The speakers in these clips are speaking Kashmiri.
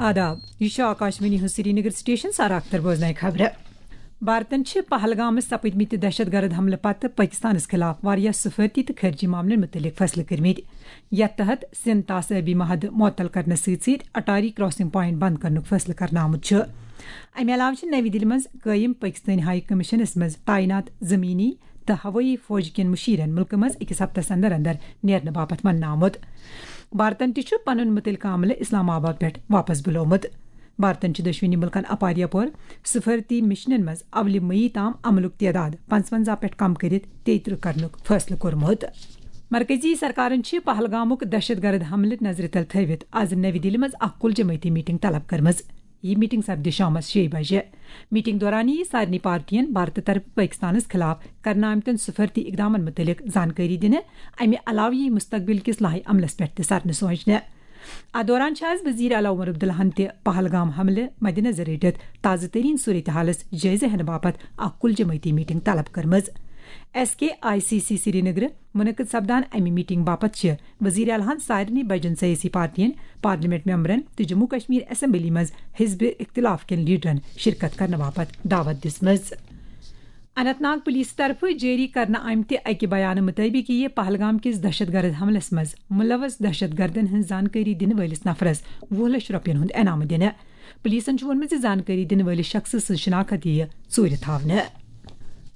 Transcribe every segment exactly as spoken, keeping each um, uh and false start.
آداب، یہِ چھُ آکاشوانی ہُنٛد سرینگر سٹیشن۔ سارا اختر بوزناوِ خبرٕ۔ بھارتن چھِ پہلگامس سپٕدمٕتہِ دہشت گرد حملہٕ پتہٕ پٲکستانس خلاف واریاہ سفارتی تہٕ خارجی معاملن مُتعلق فٲصلہٕ کٔرمٕتۍ، یتھ تحت سندھ تاسٲبی معاہدٕ معطل کرنس سۭتۍ سۭتۍ اٹاری کراسنگ پوائنٹ بند کرنُک فٲصلہٕ کرنہٕ آمُت چھُ۔ امہِ علاوٕ چھِ نوِ دِلہِ منٛز قٲیِم پٲکستٲنۍ ہائی کمیشنس منٛز تعینات زمینی تہٕ ہوٲیی فوج کٮ۪ن مُشیرن مُلکہٕ منٛز أکِس ہفتس اندر اندر نیرنہٕ باپتھ وننہٕ آمُت۔ بھارتن تہِ چھُ پنُن مُتعلقہٕ عملہٕ اسلام آباد پٮ۪ٹھ واپس بُلومُت۔ بھارتن چھُ دۄشوٕنی مُلکن اپارِ یپور سفارتی مشنن منٛز اولہِ مئی تام عملُک تعداد پنٛژونٛزاہ پٮ۪ٹھ کم کٔرِتھ تیٚیہِ ترٕٛہ کرنُک فٲصلہٕ کوٚرمُت۔ مرکزی سرکارن چھِ پہلگامُک دہشت گرد حملہٕ نظرِ تل تھٲوِتھ از نوِ دِلہِ منٛز اکھ کُل جمٲعتی میٹنگ طلب کٔرمٕژ۔ یہِ میٹنگ سپدِ شامس شیٚیہِ بجہِ۔ میٹنگ دوران یِیہِ سارنٕے پارٹین بھارتہٕ طرفہٕ پٲکستانس خلاف کرنہٕ آمتٮ۪ن سفارتی اقدامن مُتعلق زانکٲری دِنہٕ۔ امہِ علاوٕ یِیہِ مستقبل کِس لائحہ عملس پٮ۪ٹھ تہِ سرنہٕ سوچنہٕ۔ اتھ دوران چھِ از وزیر اعلیٰ عمر عبداللہن تہِ پہلگام حملہٕ مدنظر رٔٹِتھ تازٕ ترین صورتحالس جٲیزٕ ہینہٕ باپتھ اکھ کُل جمٲعتی میٹنگ طلب کٔرمٕژ۔ S K I C C سرینگرٕ منعقد سپدان امہِ میٹنگ باپتھ چھِ وزیر اعلیٰ ہن سارنٕے بجن سیٲسی پارٹین، پارلیمنٹ ممبرن تہٕ جموں کشمیر اسمبلی منٛز حزب اختلاف کٮ۪ن لیڈرن شرکت کرنہٕ باپتھ دعوت دِژمٕژ۔ اننت ناگ پولیس طرفہٕ جٲری کرنہٕ آمتہِ اکہِ بیانہٕ مُطٲبِق یِیہِ پہلگام کِس دہشت گرد حملس منٛز ملوث دہشت گردن ہٕنٛز زانکٲری دِنہٕ وٲلِس نفرس وُہ لچھ رۄپین ہُنٛد انعام دِنہٕ۔ پولیسن چھُ ووٚنمُت زِ زانکٲری دِنہٕ وٲلِس شخصہٕ سٕنٛز شناخت یِیہِ ژوٗرِ تھاونہٕ۔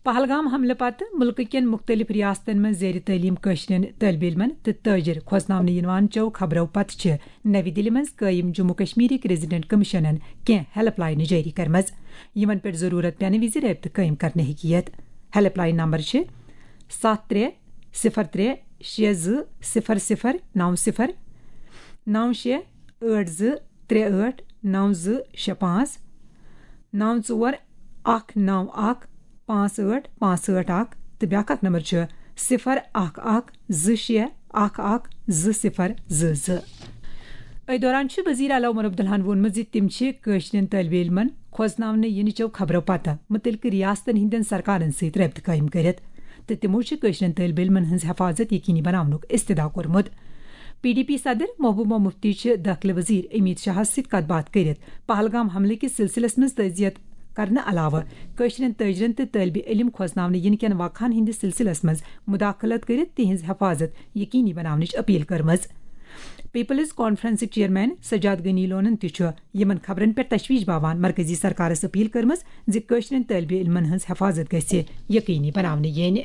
پہلگام حملہٕ پتہٕ مُلکہٕ کٮ۪ن مُختٔلِف ریاستن منٛز زیر تعلیٖم کٲشرٮ۪ن طٲلبہِ علمن تہٕ تٲجر کھوژناونہٕ یِنہٕ وان چٮ۪و خبرو پتہٕ چھِ نوِ دِلہِ منٛز قٲیِم جموں کشمیرٕکۍ ریزیڈنٹ کمیشنن کینٛہہ ہیلپ لاینہٕ جٲری کٔرمٕژ، یِمن پٮ۪ٹھ ضروٗرت پٮ۪نہٕ وِزِ رٲبطہٕ قٲیِم کرنہٕ ہیٚکہِ یِتھ۔ ہیلپ لاین نمبر چھِ ستھ ترٛےٚ صفر ترٛےٚ شےٚ زٕ صفر صفر نو صفر، نو شےٚ ٲٹھ زٕ ترٛےٚ ٲٹھ نو زٕ شےٚ پانٛژھ، نو ژور اکھ نو اکھ پانٛژھ ٲٹھ پانٛژھ ٲٹھ اکھ، تہٕ بیٛاکھ اکھ نمبر چھُ صفر اکھ اکھ زٕ شےٚ اکھ اکھ زٕ صفر زٕ زٕ۔ أتھۍ دوران چھُ وزیر اعلیٰ عمر عبداللہن ووٚنمُت زِ تِم چھِ کٲشرٮ۪ن طٲلبہِ علمن کھوژناونہٕ یِنہٕ چٮ۪و خبرو پتہٕ مُتعلقہٕ ریاستن ہٕنٛدٮ۪ن سرکارن سۭتۍ رٲبطہٕ قٲیِم کٔرِتھ تہٕ تِمو چھِ کٲشرٮ۪ن طٲلبہِ علمن ہٕنٛز حفاظت یقینی بناونُک استدعا کوٚرمُت۔ پی ڈی پی صدر محبوبہ مفتی چھِ دٲخلہٕ وزیر امیت شاہس سۭتۍ کتھ باتھ کٔرِتھ پہلگام حملہٕ کِس سلسلس منٛز تعزیت کرنہٕ علاوٕ کٲشرٮ۪ن تٲجرن تہٕ طٲلبہِ علم کھوژناونہٕ یِنہٕ کٮ۪ن واقعن ہٕنٛدِس سلسلس منٛز مداخلت کٔرِتھ تِہنٛز حفاظت یقینی بناونٕچ اپیل کٔرمٕژ۔ پیپلز کانفرنسٕکۍ چیئرمین سجاد غنی لونن تہِ چھُ یِمن خبرن پٮ۪ٹھ تشویش باوان مرکزی سرکارس اپیل کٔرمٕژ زِ کٲشرٮ۪ن طٲلبہِ علمن ہٕنٛز حفاظت گژھِ یقینی بناونہٕ یِنۍ۔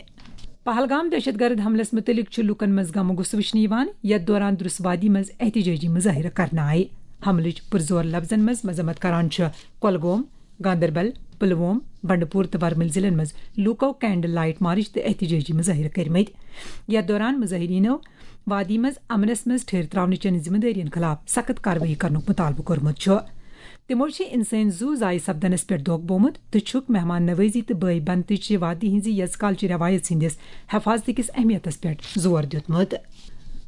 پہلگام دہشت گرد حملس مُتعلق چھُ لوٗکن منٛز غم و غصہٕ وٕچھنہٕ یِوان، یتھ دوران درُس وادی منٛز احتجاجی مظٲہرٕ کرنہٕ آیہِ۔ حملٕچ پُرزور لفظن منٛز مذمت کران چھُ کۄلگوم، گاندربل، پلووم، بنڈپور تہٕ ورمُلۍ ضلعن منٛز لوٗکو کینڈل لائٹ مارچ تہٕ احتجاجی مظٲہرٕ کٔرمٕتۍ۔ یتھ دوران مظٲہریٖنو وادی منٛز امنس منٛز ٹھہر تراونہٕ چٮ۪ن ذمہٕ دٲرین خلاف سخت کاروٲیی کرنُک مطالبہٕ کوٚرمُت چھُ۔ تِمو چھِ انسٲنی زُو ضایع سپدنس پٮ۪ٹھ دۄکھ بومُت تہٕ چھُکھ مہمان نوٲزی تہٕ بٲے بنتٕچہِ وادی ہٕنٛزِ یژ کالچہِ رٮ۪وایژ ہٕنٛدِس حفاظتہٕ کِس اہمیتس پٮ۪ٹھ زور دیُتمُت۔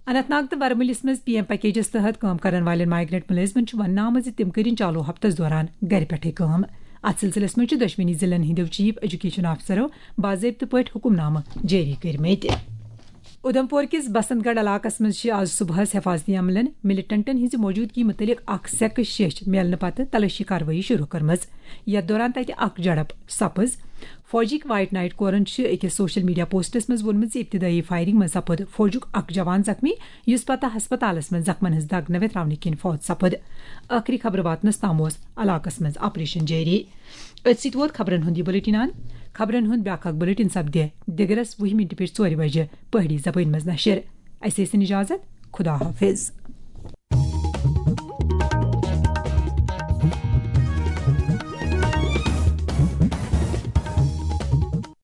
اننت ناگ تہٕ ورمُلِس منٛز پی ایم پیکیجس تحت کٲم کرن والٮ۪ن مائیگرنٹ مُلٲزمن چھُ وننہٕ آمُت زِ تِم کٔرِن چالو ہفتس دوران گرِ پٮ۪ٹھٕے کٲم۔ اتھ سلسلس منٛز چھِ دۄشوٕنی ضلعن ہٕنٛدیو چیف ایجوکیشن آفسرو باضٲبطہٕ پٲٹھۍ حکم نامہٕ جٲری کٔرمٕتۍ۔ اُدھمپور کِس بسنت گڑھ علاقس منٛز چھِ آز صبحس حفاظتی عملن ملیٹنٹن ہٕنٛزِ موجودگی مُتعلق اکھ سیکہٕ شیٚچھ میلنہٕ پتہٕ تلٲشی کاروٲیی شروع کٔرمٕژ، یتھ دوران تتہِ اکھ جھڑپ سپٕز۔ فوجٕکۍ وائٹ نائٹ کورن چھِ أکِس سوشل میڈیا پوسٹس منٛز ووٚنمُت زِ ابتدٲیی فائرنگ منٛز سپُد فوجُک اکھ جوان زخمی، یُس پتہٕ ہسپتالس منٛز زخمن ہٕنٛز دگ نہ ویتراونہٕ کِنۍ فوت سپُد۔ ٲخری خبرٕ واتنس تام اوس علاقس منٛز آپریشن جٲری۔ أتھۍ سۭتۍ ووت خبرن ہُنٛد یہِ بُلٹن اند۔ خبرن ہُنٛد بیٛاکھ اکھ بُلٹن سپدِ دِگرس وُہہِ مِنٹہِ پٮ۪ٹھ ژورِ بجہِ پہٲڑی زبٲنۍ منٛز نشر۔ اسہِ ٲسِن اجازت۔ خدا حافظ۔